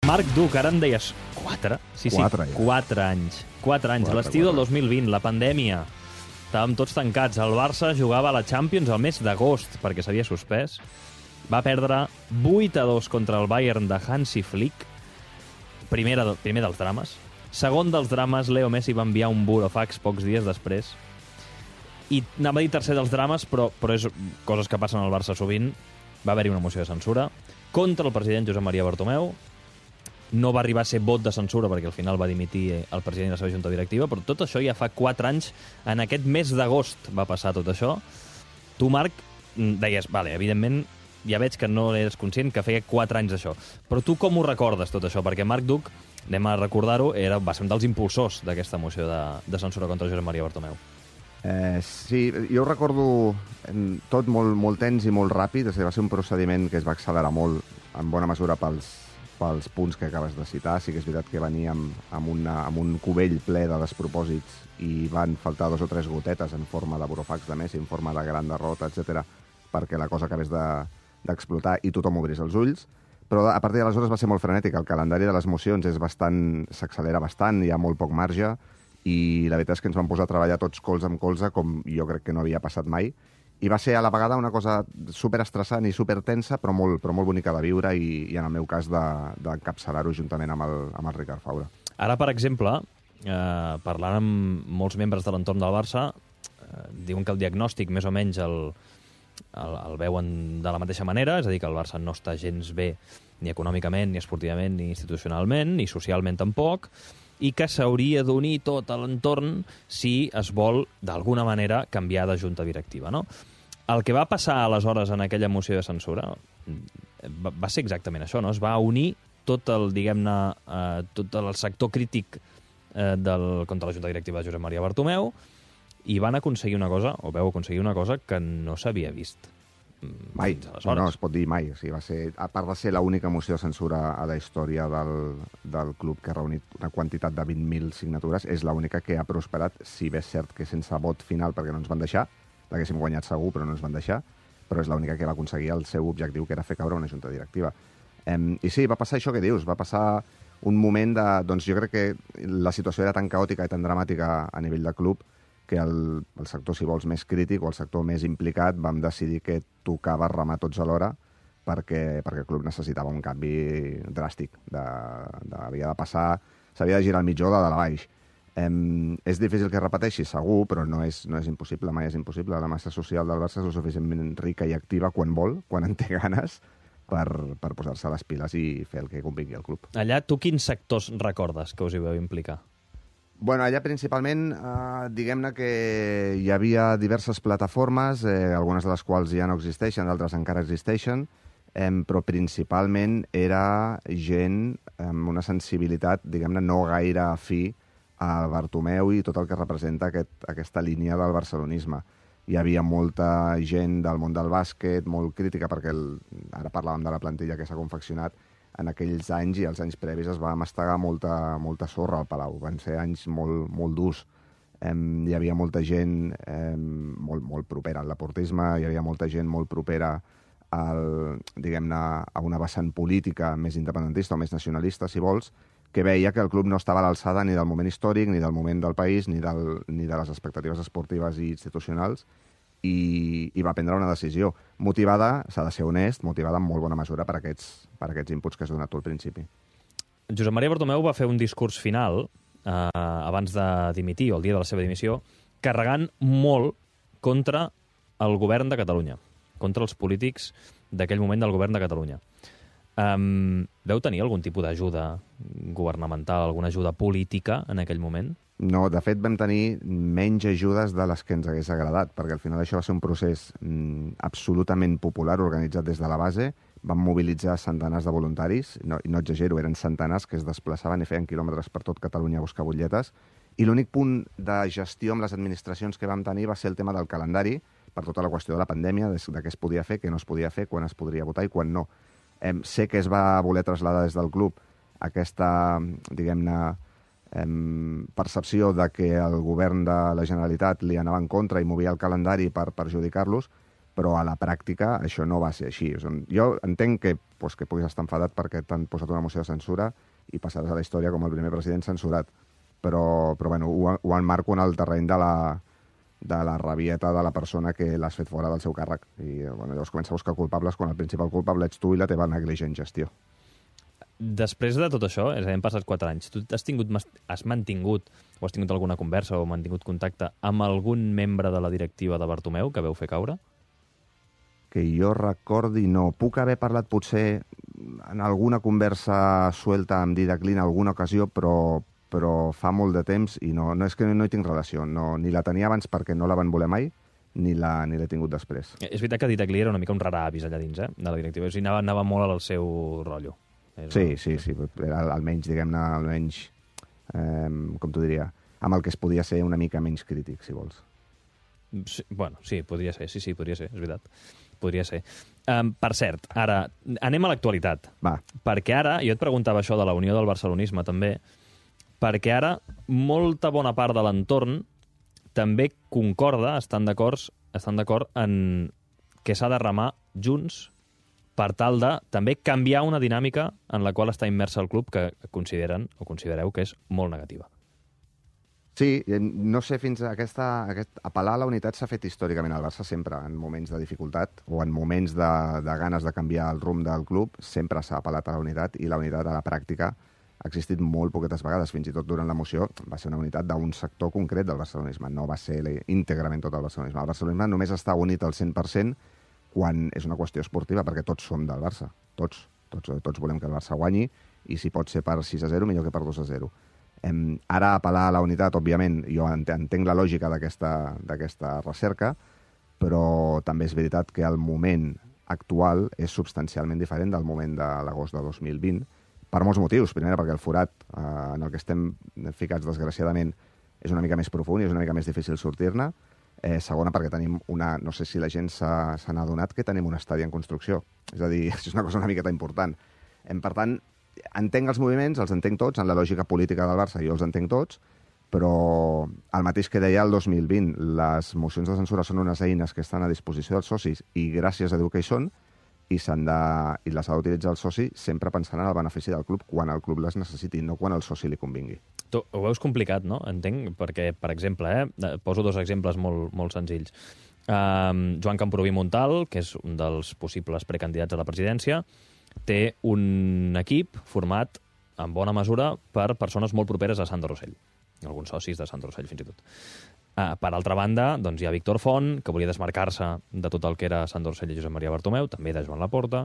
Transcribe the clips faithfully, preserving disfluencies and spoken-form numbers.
Marc Duc, ara em deies quatre? Sí, sí, Quatre, ja. quatre anys. Quatre anys. Quatre, L'estiu del quatre. dos mil vint, la pandèmia. Estàvem tots tancats. El Barça jugava a la Champions al mes d'agost, perquè s'havia suspès. Va perdre vuit a dos contra el Bayern de Hansi Flick. Primer, primer dels drames. Segon dels drames, Leo Messi va enviar un burofax pocs dies després. I anava a dir tercer dels drames, però, però és coses que passen al Barça sovint. Va haver-hi una moció de censura contra el president Josep Maria Bartomeu. No va arribar a ser vot de censura perquè al final va dimitir el president i la seva junta directiva, però tot això ja fa quatre anys. En aquest mes d'agost va passar tot això. Tu, Marc, deies, vale, evidentment, ja veig que no eres conscient que feia quatre anys d'això. Però tu com ho recordes, tot això? Perquè Marc Duc, anem a recordar-ho, era, va ser un dels impulsors d'aquesta moció de, de censura contra Josep Maria Bartomeu. Eh, sí, jo ho recordo tot molt, molt tens i molt ràpid. Va ser un procediment que es va accelerar molt, en bona mesura pels, pels punts que acabes de citar. Sí que és veritat que venia amb, amb, una, amb un cubell ple de despropòsits i van faltar dos o tres gotetes en forma de burofax de Messi, en forma de gran derrota, etcètera, perquè la cosa acabés de, d'explotar i tothom obrís els ulls. Però a partir d'aleshores va ser molt frenètic. El calendari de les mocions és bastant, s'accelera bastant, hi ha molt poc marge, i la veritat és que ens vam posar a treballar tots colze amb colze, com jo crec que no havia passat mai. I va ser a la vegada una cosa superestressant i supertensa, però molt, però molt bonica de viure i, i en el meu cas d'encapçalar-ho juntament amb el, amb el Ricard Faura. Ara, per exemple, eh, parlant amb molts membres de l'entorn del Barça, eh, diuen que el diagnòstic més o menys el, el, el veuen de la mateixa manera, és a dir, que el Barça no està gens bé ni econòmicament, ni esportivament, ni institucionalment, ni socialment tampoc, i que s'hauria d'unir tot a l'entorn si es vol, d'alguna manera, canviar de junta directiva, no? El que va passar aleshores en aquella moció de censura va, va ser exactament això, no? Es va unir tot el, diguem-ne, eh, tot el sector crític eh, del, contra la junta directiva de Josep Maria Bartomeu i van aconseguir una cosa, o veu aconseguir una cosa que no s'havia vist. Mai, no, no, es pot dir mai. O sigui, va ser, a part de ser l'única moció de censura a la història del, del club que ha reunit una quantitat de vint mil signatures, és l'única que ha prosperat, si bé és cert que sense vot final, perquè no ens van deixar, l'haguéssim guanyat segur, però no ens van deixar, però és l'única que va aconseguir el seu objectiu, que era fer caure una junta directiva. Um, I sí, va passar això que dius, va passar un moment de... Doncs jo crec que la situació era tan caòtica i tan dramàtica a nivell de club que el, el sector, si vols, més crític o el sector més implicat vam decidir que tocava remar tots alhora perquè, perquè el club necessitava un canvi dràstic. De, de, havia de passar, s'havia de girar el mitjó de dalt a baix. Em, és difícil que repeteixi, segur, però no és, no és impossible, mai és impossible. La massa social del Barça és suficientment rica i activa quan vol, quan en té ganes, per, per posar-se les piles i fer el que convingui al club. Allà, tu quins sectors recordes que us hi veu implicar? Bueno, allà principalment, eh, diguem-ne que hi havia diverses plataformes, eh, algunes de les quals ja no existeixen, d'altres encara existeixen, eh, però principalment era gent amb una sensibilitat, diguem-ne, no gaire afí a Bartomeu i tot el que representa aquest, aquesta línia del barcelonisme. Hi havia molta gent del món del bàsquet, molt crítica, perquè el, ara parlàvem de la plantilla que s'ha confeccionat, en aquells anys i els anys previs es va mastegar molta, molta sorra al Palau. Van ser anys molt, molt durs. Eh, hi havia molta gent eh, molt, molt propera al laportisme, hi havia molta gent molt propera al, diguem-ne, a una vessant política més independentista o més nacionalista, si vols, que veia que el club no estava a l'alçada ni del moment històric, ni del moment del país, ni, del, ni de les expectatives esportives i institucionals, i, i va prendre una decisió motivada, s'ha de ser honest, motivada en molt bona mesura per aquests, per aquests inputs que has donat tu al principi. Josep Maria Bartomeu va fer un discurs final eh, abans de dimitir, o el dia de la seva dimissió, carregant molt contra el govern de Catalunya, contra els polítics d'aquell moment del govern de Catalunya. Um, veu tenir algun tipus d'ajuda governamental, alguna ajuda política en aquell moment? No, de fet vam tenir menys ajudes de les que ens hagués agradat, perquè al final això va ser un procés mm, absolutament popular, organitzat des de la base. Vam mobilitzar centenars de voluntaris, no, no exagero, eren centenars que es desplaçaven i feien quilòmetres per tot Catalunya a buscar butlletes, i l'únic punt de gestió amb les administracions que vam tenir va ser el tema del calendari, per tota la qüestió de la pandèmia, de, de què es podia fer, què no es podia fer, quan es podria votar i quan no. Eh, sé que es va voler traslladar des del club aquesta, diguem-ne, eh, percepció de que el govern de la Generalitat li anava en contra i movia el calendari per perjudicar-los, però a la pràctica això no va ser així. Jo entenc que, doncs, que puguis estar enfadat perquè t'han posat una moció de censura i passaràs a la història com el primer president censurat, però, però bueno, ho, ho enmarco en el terreny de la, de la rabieta de la persona que l'has fet fora del seu càrrec. I bueno, llavors comença a buscar culpables quan el principal culpable ets tu i la teva negligent gestió. Després de tot això, és a dir, hem passat quatre anys, tu has, tingut, has mantingut o has tingut alguna conversa o mantingut contacte amb algun membre de la directiva de Bartomeu que veu fer caure? Que jo recordi, no. Puc haver parlat potser en alguna conversa suelta amb Didac Lee en alguna ocasió, però, però fa molt de temps i no, no és que no hi tinc relació. No, ni la tenia abans perquè no la van voler mai, ni l'he ni tingut després. És veritat que Didac Lee era una mica un raravis allà dins, eh, de la directiva. O sigui, anava, anava molt al seu rotllo. Sí, sí, sí. Era almenys, diguem-ne, almenys, eh, com t'ho diria, amb el que es podia ser una mica menys crític, si vols. Sí, bueno, sí, podria ser, sí, sí, podria ser, és veritat. Podria ser. Um, per cert, ara, anem a l'actualitat. Va. Perquè ara, jo et preguntava això de la unió del barcelonisme, també, perquè ara molta bona part de l'entorn també concorda, estan d'acord estan d'acord en que s'ha de remar junts per tal de també canviar una dinàmica en la qual està immersa el club que consideren o considereu que és molt negativa. Sí, no sé, fins a aquesta... Aquest, apel·lar a la unitat s'ha fet històricament al Barça sempre, en moments de dificultat o en moments de, de ganes de canviar el rumb del club, sempre s'ha apel·lat a la unitat i la unitat a la pràctica ha existit molt poquetes vegades, fins i tot durant l'emoció va ser una unitat d'un sector concret del barcelonisme, no va ser íntegrament tot el barcelonisme. El barcelonisme només està unit al cent per cent quan és una qüestió esportiva, perquè tots som del Barça, tots, tots, tots volem que el Barça guanyi, i si pot ser per sis a zero, millor que per dos a zero. Em, ara apel·lar a la unitat, òbviament, jo entenc la lògica d'aquesta recerca, però també és veritat que el moment actual és substancialment diferent del moment de l'agost de dos mil vint, per molts motius. Primera, perquè el forat eh, en el que estem ficats, desgraciadament, és una mica més profund i és una mica més difícil sortir-ne. Eh, segona, perquè tenim una... No sé si la gent se n'ha adonat que tenim un estadi en construcció. És a dir, és una cosa una miqueta important. Em, per tant, entenc els moviments, els entenc tots, en la lògica política del Barça jo els entenc tots, però el mateix que deia el dos mil vint, les mocions de censura són unes eines que estan a disposició dels socis i gràcies a Déu que hi són, i, de, i les ha d'utilitzar el soci sempre pensant en el benefici del club quan el club les necessiti, no quan el soci li convingui. Tu ho veus complicat, no? Entenc, perquè, per exemple, eh, poso dos exemples molt, molt senzills. Um, Joan Camproví Montal, que és un dels possibles precandidats a la presidència, té un equip format, en bona mesura, per persones molt properes a Sandro Rosell. Alguns socis de Sandro Rosell, fins i tot. Uh, per altra banda, doncs, hi ha Víctor Font, que volia desmarcar-se de tot el que era Sandro Rosell i Josep Maria Bartomeu, també de Joan Laporta,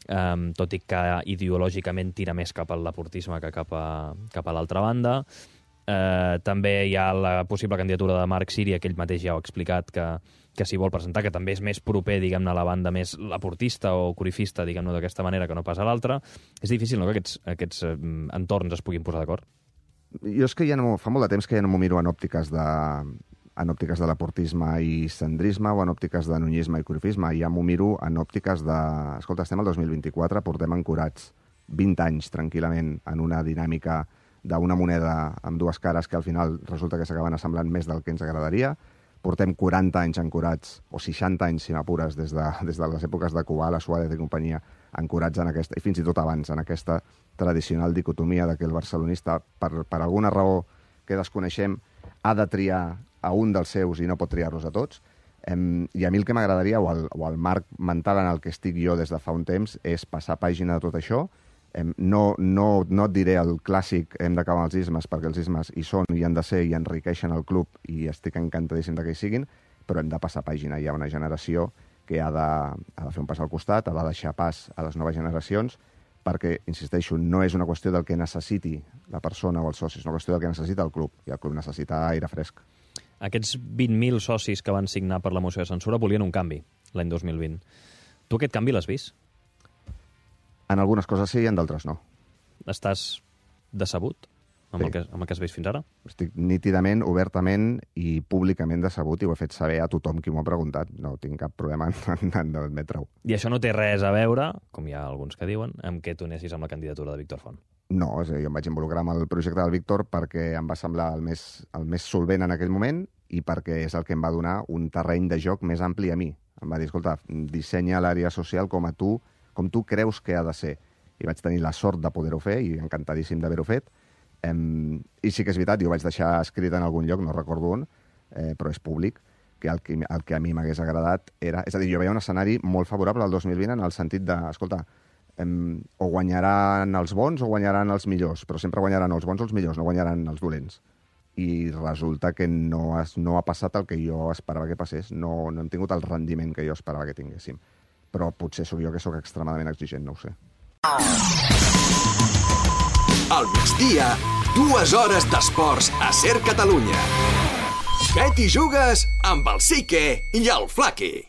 um, tot i que ideològicament tira més cap al laportisme que cap a, cap a l'altra banda. Uh, també hi ha la possible candidatura de Marc Síria, que ell mateix ja ho ha explicat, que, que s'hi vol presentar, que també és més proper, diguem-ne, a la banda més laportista o corifista, diguem-ne, d'aquesta manera, que no pas a l'altra. És difícil, no?, que aquests, aquests um, entorns es puguin posar d'acord. Jo és que ja no, fa molt de temps que ja no m'ho miro en òptiques de, en òptiques de laportisme i centrisme o en òptiques de nunyisme i corifisme. Ja m'ho miro en òptiques de... Escolta, estem al dos mil vint-i-quatre, portem ancorats vint anys tranquil·lament en una dinàmica d'una moneda amb dues cares que al final resulta que s'acaben assemblant més del que ens agradaria. Portem quaranta anys ancorats, o seixanta anys, si m'apures, des de, des de les èpoques de Kubala, Suárez i companyia, ancorats en aquesta, i fins i tot abans, en aquesta tradicional dicotomia de que el barcelonista, per, per alguna raó que desconeixem, ha de triar a un dels seus i no pot triar-los a tots. Em, I a mi el que m'agradaria, o, el, o el marc mental en el que estic jo des de fa un temps, és passar pàgina de tot això. Em, no, no, no et diré el clàssic hem d'acabar amb els ismes, perquè els ismes hi són i han de ser i enriqueixen el club i estic encantadíssim que hi siguin, però hem de passar pàgina. Hi ha una generació que ha de, ha de fer un pas al costat, ha de deixar pas a les noves generacions, perquè, insisteixo, no és una qüestió del que necessiti la persona o els socis, és una qüestió del que necessita el club, i el club necessita aire fresc. Aquests vint mil socis que van signar per la moció de censura volien un canvi l'any dos mil vint. Tu aquest canvi l'has vist? En algunes coses sí i en d'altres no. Estàs decebut amb, sí. el que, amb el que has vist fins ara? Estic nítidament, obertament i públicament decebut i ho he fet saber a tothom qui m'ho ha preguntat. No tinc cap problema en, en admetre-ho. I això no té res a veure, com hi ha alguns que diuen, amb què tu anessis amb la candidatura de Víctor Font? No, és a dir, jo em vaig involucrar amb el projecte del Víctor perquè em va semblar el més, el més solvent en aquell moment i perquè és el que em va donar un terreny de joc més ampli a mi. Em va dir, escolta, dissenya l'àrea social com a tu, com tu creus que ha de ser. I vaig tenir la sort de poder-ho fer, i encantadíssim d'haver-ho fet. Em, I sí que és veritat, jo ho vaig deixar escrit en algun lloc, no recordo on, eh, però és públic, que el, que el que a mi m'hagués agradat era... És a dir, jo veia un escenari molt favorable al dos mil vint en el sentit de, escolta, em, o guanyaran els bons o guanyaran els millors, però sempre guanyaran els bons o els millors, no guanyaran els dolents. I resulta que no, has, no ha passat el que jo esperava que passés, no, no hem tingut el rendiment que jo esperava que tinguéssim. Però potser sóc jo que sóc extremadament exigent, no ho sé. Al migdia, dues hores d'esports a Ser Catalunya. Què t'hi jugues amb el Sique i el Flaqui?